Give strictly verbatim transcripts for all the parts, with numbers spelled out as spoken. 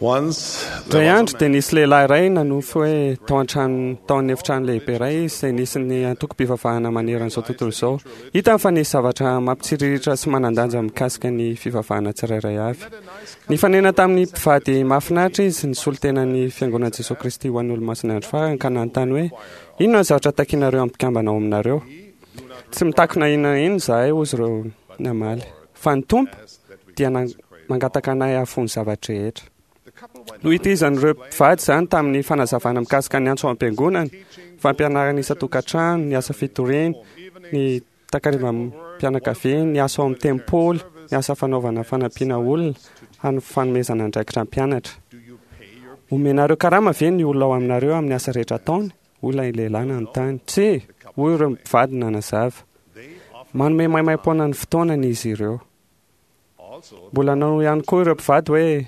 Once Indray andro dia nisy lehilahy iray nanofy hoe tao an-trano tao amin'ny efitrano lehibe iray izy izay nisy ny antokom-pivavahana maneran'izao tontolo izao. Hitany fa nisy zavatra mampitsiriritra sy manan-danja mikasika ny fivavahana tsirairay avy. Nifanena tamin'ny mpivady mahafinaritra izy nisolo tena ny fiangonan'i Jesosy Kristy ho an'ny Olomasin'ny Andro Farany ka nanontany hoe inona ny zavatra takinareo amin'ny mpikambana ao aminareo? Tsy mitakina inona inona izahay, hoy izy ireo namaly, fa ny Tompo dia mangataka anay hahafoy ny zava-drehetra. Nohitizan'ireo mpivady izany tamin'ny fanazavana mikasika ny antso am-piangonana, fampianarana isan-tokantrano, ny asa fitoriana, ny takarivam-pianakaviana, ny asa ao amin'ny tempoly, ny asa fanaovana fanampiana olona, ary ny fanomezana andraikitra mpianatra. Omenareo karama ve ny olona ao aminareo amin'ny asa rehetra ataony? Hoy ilay lehilahy nanontany. Tsia, hoy ireo mpivady nanazava. Manome maimaimpoana ny fotoanany izy ireo. Mbola nanao ihany koa ireo mpivady hoe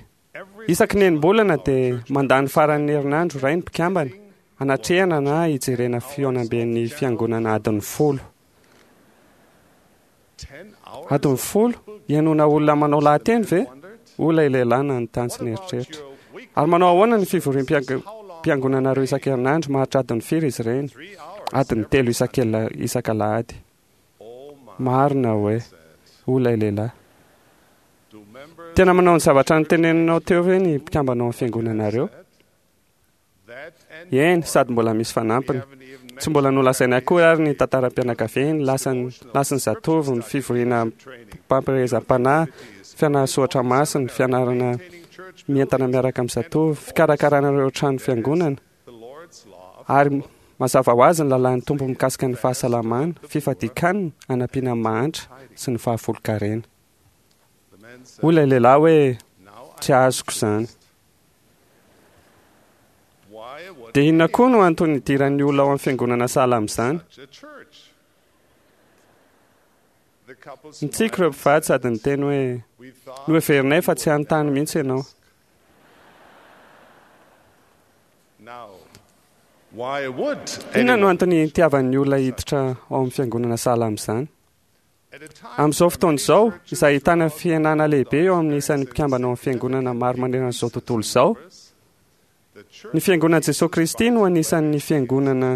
isaky ny enim-bolana dia mandany faran'ny herinandro iray ny mpikambana hanatrehana na hijerena fihaonamben'ny fiangonana adiny folo. Adiny folo? Hihainoana olona manao lahateny ve? Hoy ilay lehilahy nanontany sy nieritreritra. Ary manao ahoana ny fivoriam-piangonanareo isan-kerinandro? Maharitra adiny firy izy ireny? Adiny telo isak'alahady. Marina hoe, hoy ilay lehilahy. Tena manao ny zavatra noteneninao teo ve ny mpikambana ao amin'ny fiangonanareo? Eny, sady mbola misy fanampiny. Tsy mbola nolazaina akory ary ny tantaram-pianakaviany, lasan'ny lasan'ny zatovo, ny fivoriana mpampirezam-panahy, fianara-soratra masina, fianarana mientana miaraka amin'ny zatovo, fikarakarana ireo trano fiangonana, ary mazava ho azy ny lalàn'ny Tompo mikasika ny fahasalamana, fifadian-kanina, hanampiana ny mahantra sy ny fahafolon-karena. Hoy ilay lehilahy hoe tsy azoko izany. Dia inona koa no antony hidiran'ny olona ao amin'ny fiangonana sahala amin'izany? Nitsiky ireo mpivady sady niteny hoe noheverinay fa tsy hanontany mihitsy ianao. Inona no antony hitiavan'ny olona hiditra ao amin'ny fiangonana sahala amin'izany? Amin'izao fotoana izao, izay ahitana fihenana lehibe eo amin'ny isan'ny mpikambana ao amin'ny fiangonana maro manerana izao tontolo izao, ny fiangonan'i Jesosy Kristy no anisan'ny fiangonana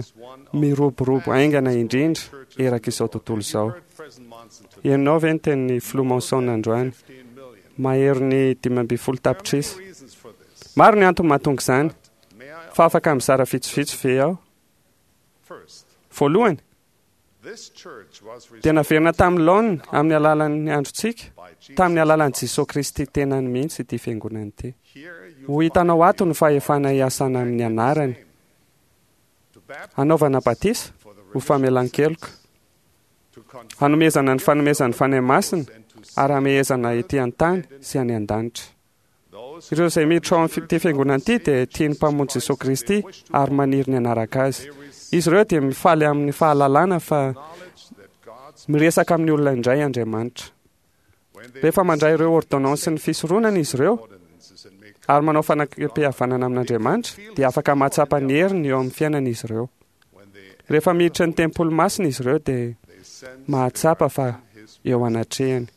miroborobo haingana indrindra eraka izao tontolo izao. Ianao ve ny tenin'ny filoha Monson androany? Maherin'ny dimy ambin'ny folo tapitrisa. Maro ny antony mahatonga izany, fa afaka mizara vitsivitsy ve aho? Voalohany, dia naverina tamin'ny laoniny amin'ny alalan'ny androntsika, tamin'ny alalan'i Jesosy Kristy tenany mihitsy ity fiangonana ity. Ho hitanao ato ny fahefana hiasana amin'ny anarany, hanaovana batisa ho famelan-keloka, hanomezana ny fanomezan'ny Fanahy Masina ary hamehezana ety an-tany sy any an-danitra. Ireo izay miditra ao amin'ity fiangonana ity dia tia ny Mpamonjy Jesosy Kristy ary maniry ny hanaraka Azy. Izy ireo dia mifaly amin'ny fahalalana fa miresaka amin'ny olona indray Andriamanitra. Rehefa mandray ireo ordonnansin'ny fisoronana izy ireo ary manao fanakam-pihavanana amin'Andriamanitra, dia afaka mahatsapa ny heriny eo amin'ny fiainana izy ireo. Rehefa miditra ny tempoly masina izy ireo dia mahatsapa fa eo anatrehany.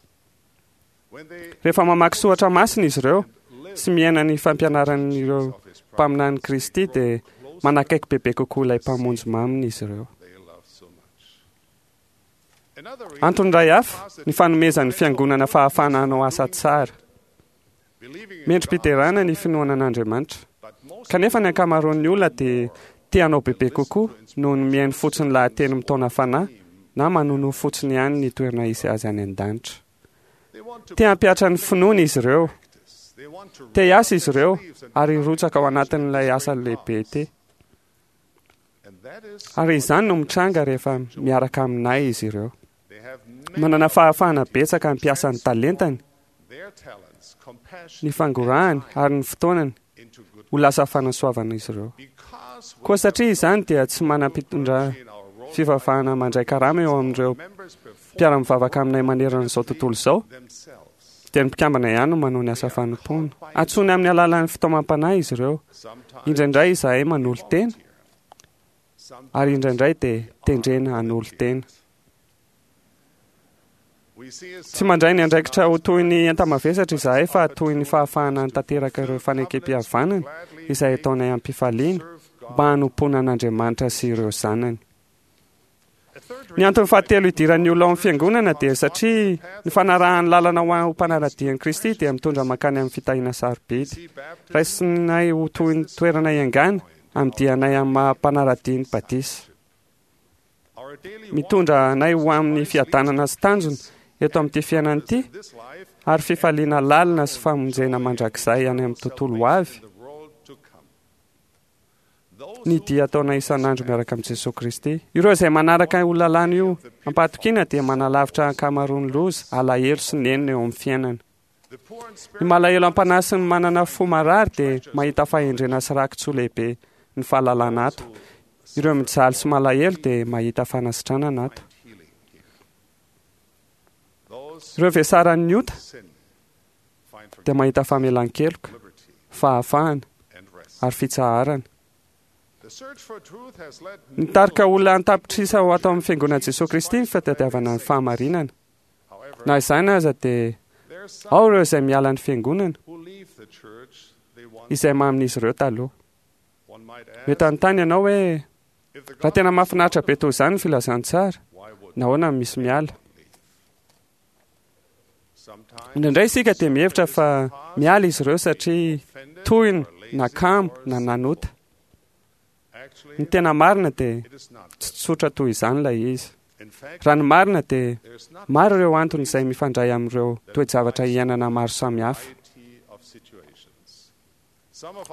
Rehefa mamaky soratra masina izy ireo sy miaina ny fampianaran'ireo mpaminany Kristy dia manakaiky bebe kokoa ilay Mpamonjy maminy izy ireo. Antony iray hafa, ny fanomezan'ny fiangonana fahafahana hanao asa tsara. Mendri-piderana ny finoana an'Andriamanitra. Kanefa ny ankamaroan'ny olona dia te hanao bebe kokoa noho ny mihaino fotsiny lahateny mitaona fanahy na manonoa fotsiny ihany ny toerana hisy azy any an-danitra. Te hampihatra ny finoany izy ireo. Te hiasa izy ireo ary hirotsaka ao anatin'ilay asa lehibe ity. Ary izany no mitranga rehefa miaraka aminay izy ireo. Manana fahafahana betsaka hampiasa ny talentany, ny fangorahany ary ny fotoanany ho lasa fanasoavana izy ireo. Koa satria izany dia tsy manam-pitondra fivavahana mandray karama eo amin'ireo mpiara-mivavaka aminay manerana izao tontolo izao, dia ny mpikambana ihany no manao ny asa fanompoana. Antsoiny amin'ny alalan'ny fitaomam-panahy izy ireo. Indraindray izahay manolo-tena, ary indraindray dia tendrena hanolo-tena. Tsy mandray ny andraikitra ho toy ny enta-mavesatra izahay fa toy ny fahafahana tanteraka ireo fanekempihavanana izay ataonay am-pifaliana mba hanompoana an'Andriamanitra sy ireo zanany. Ny antony fahatelo idiran'ny olona ao amin'ny fiangonana dia satria ny fanarahan'ny lalana ho ho mpanara-dia an'i Kristy dia mitondra mankany amin'ny fitahiana sarobidy. Raisinay ho toy ny toerana iangana amin'ny dianay amin'ny maha mpanara-dia ny batisa. Mitondra anay ho amin'ny fiadanana sy tanjona eto amin'ity fiainana ity ary fifaliana lalina sy famonjena mandrakizay any amin'ny tontolo ho avy ny dia ataonay isan'andro miaraka amin'i Jesosy Kristy. Ireo izay manaraka io lalàna io am-pahatokiana dia manalavitra ankamaroan'ny loza, alahelo sy nenina eo amin'ny fiainana. Ny malahelo am-panahy sy ny manana fo marary dia mahita fahendrena sy raki-tsoa lehibe ny fahalalana ato. Ireo mijaly sy malahelo dia mahita fanasitranana ato. Ireo vesaran'ny ota dia mahita famelan-keloka, fahafahana ary fitsaharana. Nitarika olona an-tapitrisa ho ato amin'ny fiangonan'i Jesosy Kristy ny fitadiavana ny fahamarinana. Na izany aza dia ao ireo izay miala ny fiangonana izay mamin'izy ireo taloha. Mety hanontany ianao hoe raha tena mahafinaritra be toy izany ny filazantsara, nahoana no misy miala? Indraindray isika dia mihevitra fa miala izy ireo satria tohina na kamo na nanota. Ny tena marina dia tsy tsotra toy izany ilay izy. Raha ny marina dia maro ireo antony izay mifandray amin'ireo toe-javatra iainana maro samihafa.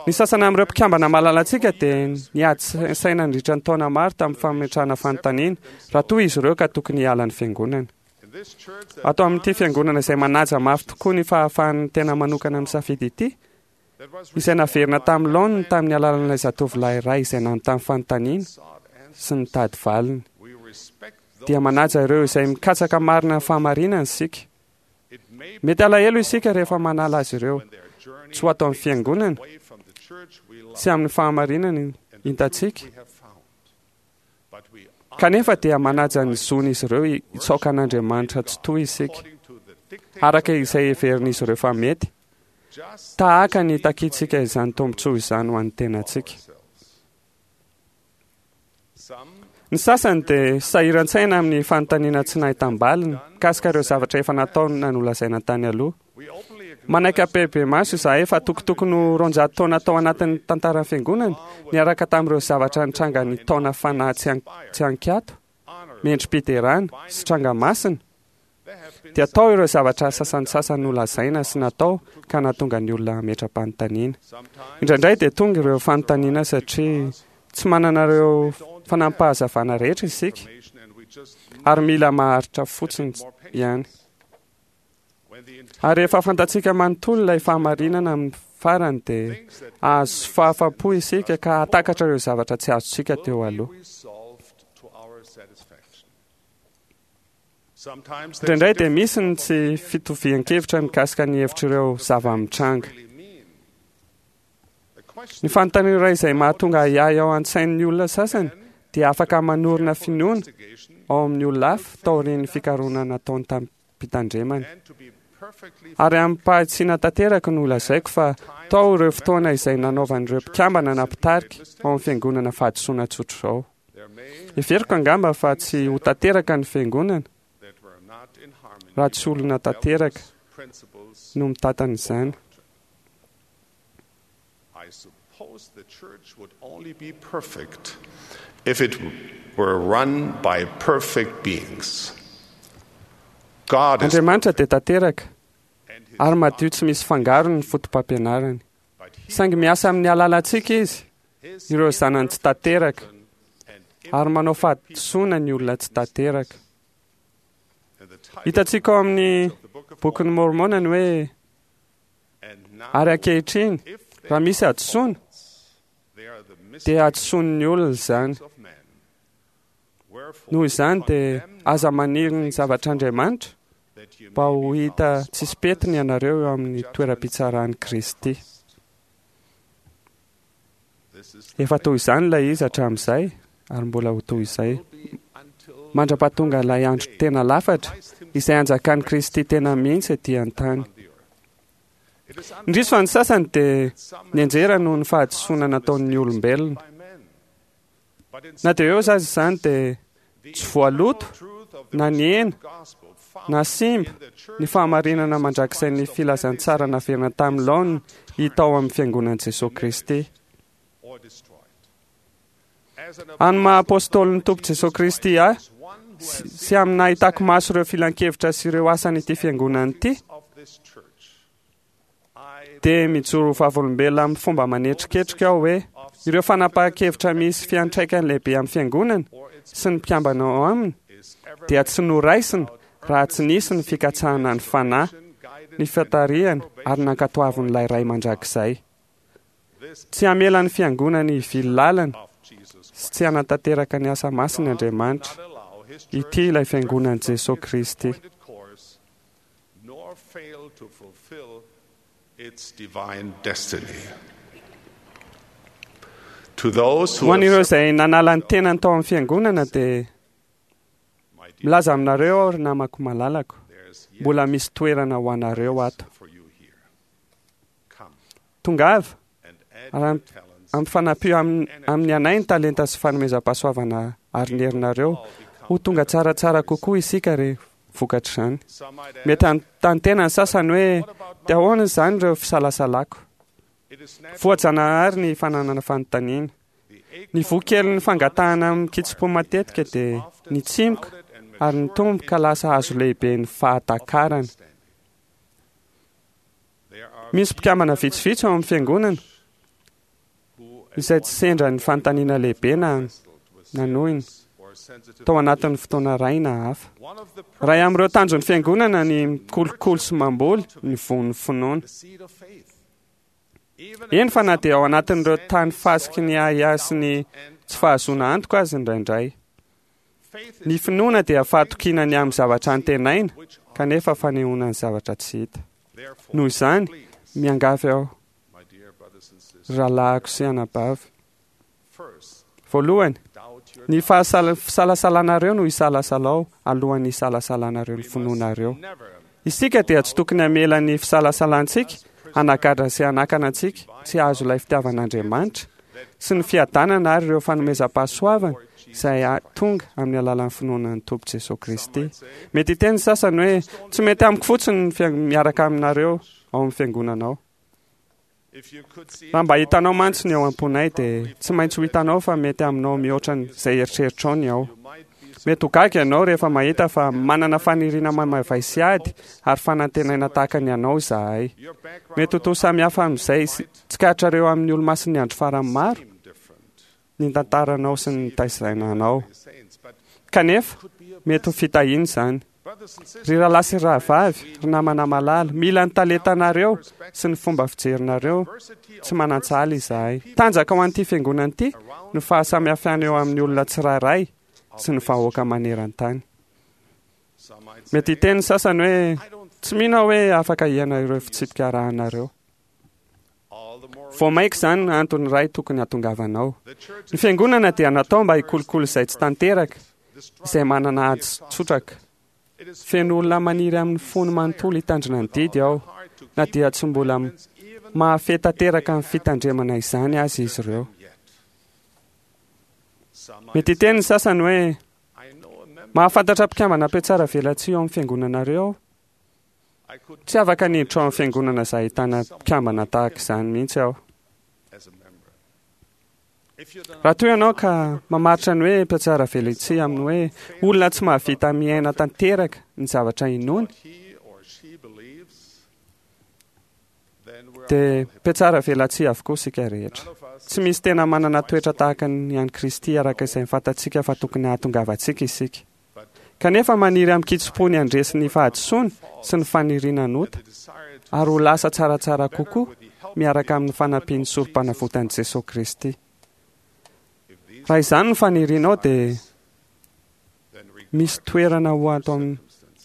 Ny sasany amin'ireo mpikambana malalantsika dia niady saina nandritra ny taona maro tamin'ny fametrahana fanontaniana raha toa izy ireo ka tokony hiala ny fiangonana. Ato amin'ity fiangonana izay manaja mafy tokoa ny fahafahan'ny tena manokana misafidy ity, izay naverina tamin'ny laoniny tamin'ny alalan'ilay zatovolahy iray izay nanontany fanontaniana sy nitady valiny, dia manaja ireo izay mikatsaka marina ny fahamarinana isika. Mety alahelo isika rehefa manala azy ireo tsy ho ato amin'ny fiangonana sy amin'ny fahamarinana hitantsika, kanefa dia manaja ny zon'izy ireo hitsaoka an'Andriamanitra tsy toy isika, araka izay heverin'izy ireo fa mety, tahaka ny takintsika izany tombontsoa izany ho an'ny tenantsika. Ny sasany dia sahiran-tsaina amin'ny fanontaniana tsy nahitam-baliny mikasika ireo zavatra efa nataony na nolazaina tany aloha. Manaiky ampahibemaso izahay fa tokotokony ho roanjato taona tao anatin'ny tantaran'ny fiangonana niaraka tamin'ireo zavatra nitranga ny taona fanahy tsy ankiato, mendri-piderana sy tranga masina, dia tao ireo zavatra sasantsasany nolazaina sy natao ka nahatonga ny olona hametra-panontaniana. Indraindray dia tonga ireo fanontaniana satria tsy manana ireo fanampahazavana rehetra isika ary mila maharitra fotsiny ihany. Ary rehefa fantatsika manontolo ilay fahamarinana amin'ny farany dia azo fahafapo isika ka hahatakatra ireo zavatra tsy azontsika teo aloha. Indraindray dia misy ny tsy fitovian-kevitra mikasika ny hevitr'ireo zava-mitranga. Ny fanontaniana iray izay mahatonga ahiahy ao an-tsain'ny olona sasany dia afaka manorina finoana ao amin'ny olona hafa taorian'ny fikarohana nataony tamim-pitandremana. Ary amim-pahatsiana tanteraka no lazaiko fa tao ireo fotoana izay nanaovan'ireo mpikambana na mpitarika ao amin'ny fiangonana fahadisoana tsotra izao. Heveriko angamba fa tsy ho tanteraka ny fiangonana raha tsy olona tanteraka no mitantana izany. I suppose the church would only be perfect if it were run by perfect beings. God is Andriamanitra dia tanteraka and his ary madio tsy misy fangarony ny fotopampianarany. Saingy miasa amin'ny alalantsika izy, his ireo zanany tsy tanteraka, and ary manao fahadisoana ny olona tsy tanteraka. in the title Hitantsika ao amin'ny of the Book of bokin'ny Mormona ny hoe and now ary ankehitriny if they raha misy hadisoana they are the dia mistakes hadisoan'ny olona izany. of men. Wherefore Noho izany dia condemn aza maniry ny zavatr'Andriamanitra that ye mba may ho be hita found tsisy petiny ianareo eo amin'ny toeram-pitsaran'i Kristy. This is the Efa toy izany ilay izy hatramin'izay ary mbola ho toy izay will be until mandra-pahatonga ilay andro tena lafatra izay anjakan'i Kristy tena mihitsy ety an-tany. Indrisy fa ny sasany dia nianjera noho ny fahadisoana nataon'ny olombelona. Na dia eo aza izany dia tsy voaloto na nihena na simba ny fahamarinana mandrakizay ny filazantsara naverina tamin'ny laoniny hita ao amin'ny fiangonan'i Jesosy Kristy. Any maha apôstôlin'ny Tompo Jesosy Kristy ahy sy amin'ny nahitako maso ireo filankevitra sy ireo asan'ity fiangonana ity, dia mijoro vavolombelona amin'ny fomba manetriketrika aho hoe ireo fanapahan-kevitra misy fiantraikany lehibe amin'ny fiangonana sy ny mpikambana ao aminy dia tsy noraisina raha tsy nisy ny fikatsahana ny fanahy, ny fitarihana ary nankatoavin'ilay Ray mandrakizay. Tsy hamela ny fiangonana hivily lalana sy tsy hanatanteraka ny asa masiny Andriamanitra. Ity ilay fiangonan'i Jesosy Kristy. Nor fail to fulfill its divine destiny. To those who Ho an'ireo have izay nanala ny tenany tao amin'ny fiangonana dia my dear, milaza aminareo aho ry namako malalako, there's yet mbola misy toerana ho anareo ato. for you here. Come Tongava and add ary your am- talents ampifanampio amin- amin'ny anay ny talenta sy fanomezam-pahasoavana ary ny herinareo ho tonga tsaratsara kokoa isika re vokatr'izany. Some might ask, Mety hanontany tena ny sasany hoe dia ahoana izany ireo fisalasalako. it is natural Voajanahary ny fananana fanontaniana. the Ny voa kelin'ny fangatahana amin'ny kitsim-po matetika dia nitsimoka ary nitombo ka lasa hazo lehibe ny fahatakarana. understanding. There are Misy mpikambana vitsivitsy ao amin'ny fiangonana who izay tsy sendra ny fanontaniana lehibe na nanohina or sensitive tao anatin'ny fotoana iray na hafa. one of the Iray amin'ireo tanjon'ny fiangonana ny mikolokolo sy mamboly ny voan'ny finoana. the seed of faith. Even Eny fa na dia ao anatin'ireo tany fasiky ny ahiahy sy ny tsy fahazoana antoka azy indraindray. faith Ny is finoana dia fahatokiana ny amin'ny zavatra antenaina which are kanefa fanehoana ny zavatra tsy hita. therefore Noho izany, please, miangavy aho, my dear brothers and sisters, rahalahiko sy anabavy. first Voalohany, doubt your ny fahasala- fisalasalanareo no isalasalao alohan'ny isalasalanareo ny finoanareo. never Isika dia tsy tokony hamela ny fisalasalantsika hanagadra sy hanakana antsika tsy hahazo ilay fitiavan'Andriamanitra sy ny fiadanana ary ireo fanomezam-pahasoavana izay a- tonga amin'ny alalan'ny finoana ny Tompo Jesosy Kristy. Mety hiteny ny sasany hoe tsy mety amiko fotsiny ny fia- miaraka aminareo ao amin'ny fiangonanao. if you could see Raha mba hitanao mantsy ny ao am-ponay dia tsy maintsy ho hitanao fa mety aminao mihoatra ny- izay eritreritrao ny ao. you might be Mety ho gaga ianao rehefa mahita fa manana faniriana mamavay sy ady ary fanantenaina tahaka ny anao izahay. your background Mety ho toa samy hafa amin'izay sy- tsikaritrareo amin'ny olomasin'ny andro farany maro seem different ny tantaranao sy ny taizaina anao. the saints but Kanefa, could be a mety ho fitahiana izany. brothers and sisters Ry rahalahy sy rahavavy, ry namana malala, mila ny talentanareo sy ny fomba fijerinareo diversity tsy manan-tsahala izahay. Tanjaka ho an'ity fiangonana ity no fahasamihafana eo amin'ny olona tsirairay sy ny vahoaka maneran-tany. some might Mety hiteny ny sasany hoe I don't tsy mino aho hoe afaka hiaina ireo fitsipika arahanareo. all the more Vao mainka izany antony iray tokony hahatongavanao. the church Ny fiangonana dia natao mba hikolokolo izay tsy tanteraka, the struggle izay manana ady tsotraka. it is Feno olona maniry amin'ny fony manontolo hitandrina ny didy aho, hard to na keep dia tsy mbola even mahafehy tanteraka ny fitandremana izany azy izy ireo. yet some might Mety hiteny ny sasany hoe I know a member mahafantatra mpikambana mpiatsara velatsihy ao amin'ny fiangonanareo aho. I could Tsy afaka niditra ao amin'ny fiangonana izay ahitana mpikambana tahaka izany mihitsy aho. as a member if you don't Raha toa ianao ka mamaritra ny hoe mpiatsara velatsihy amin'ny hoe olona tsy mahavita miaina tanteraka ny zavatra inoany, what he or she believes then we're dia mpiatsara velatsihy avokoa isika rehetra. none of us Tsy misy tena manana toetra tahaka ny an'i Kristy araka izay fantatsika fa tokony hahatongavantsika isika. but Kanefa maniry amin'ny kitsim-po ny handresy ny fahadisoana sy ny faniriana nota the desire to ary ho lasa tsaratsara kokoa with the help miaraka amin'ny fanampian'ny sorom-panavotan'i Jesosy Kristy. if these Raha izany no fanirianao dia then misy toerana ho ato amin'ny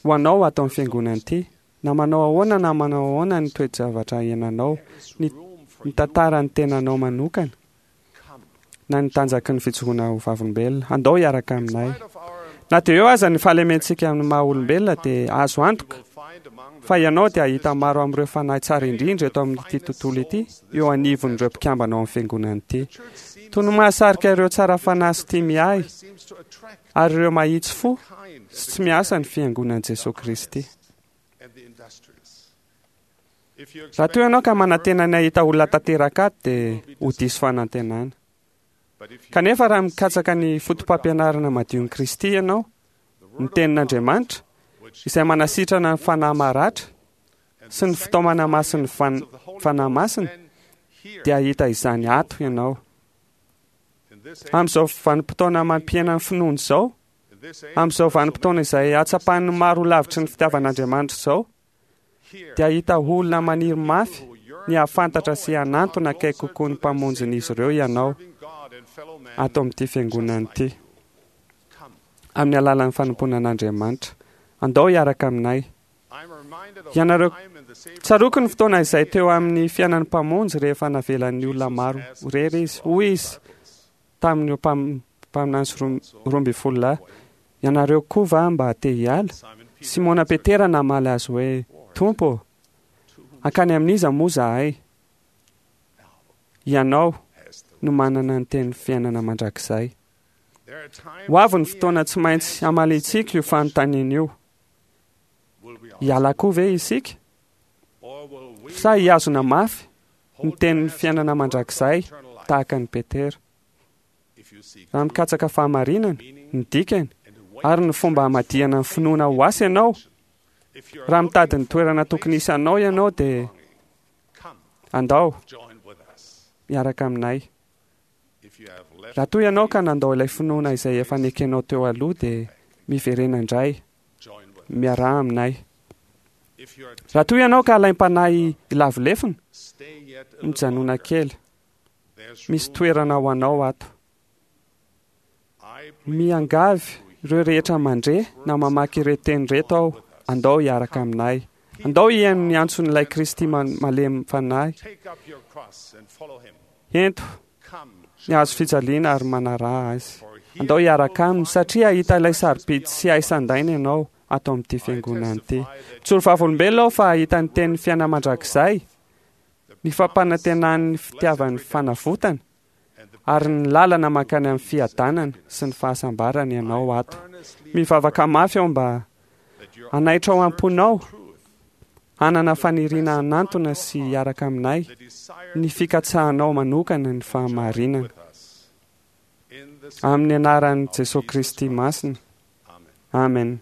ho anao ato amin'ny fiangonana ity. Na manao ahoana na manao ahoana ny toe-javatra iainanao, ny room for ny tantara ny tenanao manokana come na ny tanjaky ny fijoroana ho vavolombelona. Andao hiaraka aminay. spite of our Na dia eo aza ny fahalementsika amin'ny maha olombelona, dia azo antoka fa ianao dia hahita maro amin'ireo fanahy tsara indrindra eto amin'ity tontolo ity eo anivon'ireo mpikambana ao amin'ny fiangonana ity. Toy ny mahasarika ireo tsara fanahy sy tia miahy ary ireo mahitsy fo sy tsy miasa ny fiangonan'i Jesosy Kristy. Raha toa ianao ka manantena ny hahita olona tanteraka ato, dia ho diso fanantenana. Kanefa raha mikatsaka ny foto-pampianarana madion'i Kristy ianao, ny tenin'Andriamanitra, izay manasitrana ny fanahy maratra sy ny fitaomana masin'ny fan- fanahy masina, dia hahita izany ato ianao. Amin'izao vanim-potoana mampihena ny finoana izao, amin'izao vanim-potoana izay hatsapan'ny maro ho lavitry ny fitiavan'Andriamanitra izao, dia hahita olona maniry mafy ny hahafantatra sy hanantona akaiky kokoa ny mpamonjin'izy ireo ianao ato amin'ity fiangonana ity, amin'ny alalan'ny fanompoana an'Andriamanitra. Andao hiaraka aminay. Ianareo, tsaroako ny fotoana izay teo amin'ny fiainan'ny mpamonjy rehefa navelan'ny olona maro ho rery izy. Hoy izy tamin'ireo mpam- mpaminany sy roa roa ambin'ny folo lahy, ianareo koa va mba te hiala? Simona Petera namaly azy hoe, Tompo, hankany amin'iza moa zahay? Ianao no manana ny teny fiainana mandrakizay. Ho avy ny fotoana tsy maintsy hamaliantsika io fanontaniana io. Hiala koa ve isika? Sa hihazona mafy ny tenin'ny fiainana mandrakizay tahaka an'i Petera? Raha mikatsaka fahamarinana, ny dikany, ary ny fomba hamadihana ny finoana ho asa ianao, raha mitady ny toerana tokony hisy anao ianao, dia andao miaraka aminay. Raha toa ianao ka nandao ilay finoana izay efa nekenao teo aloha, dia miverena indray, miaraha aminay. Raha toa ianao ka alaim-panahy hilavo lefona, mijanona kely, misy toerana ho anao ato. Miangavy ireo rehetra mandre na mamaky ireo teny ireto aho, andao hiaraka aminay. Andao hihaino ny antson'ilay Kristy malemy fanahy. Ento ny hazo fijaliana ary manaraha azy. Andao hiaraka aminy satria hahita ilay sarobidy sy hay sandaina ianao ato amin'ity fiangonana ity. Mijoro vavolombelona aho fa hahita ny tenin'ny fiainana mandrakizay, ny fampanantenan'ny fitiavan'ny fanavotana, ary ny lalana mankany amin'ny fiadanana sy ny fahasambarana ianao ato. Mivavaka mafy aho mba hanaitra ao am-ponao, hanana faniriana hanantona sy hiaraka aminay ny fikatsahanao manokana ny fahamarinana. Amin'ny anaran'i Jesosy Kristy masina. Amen.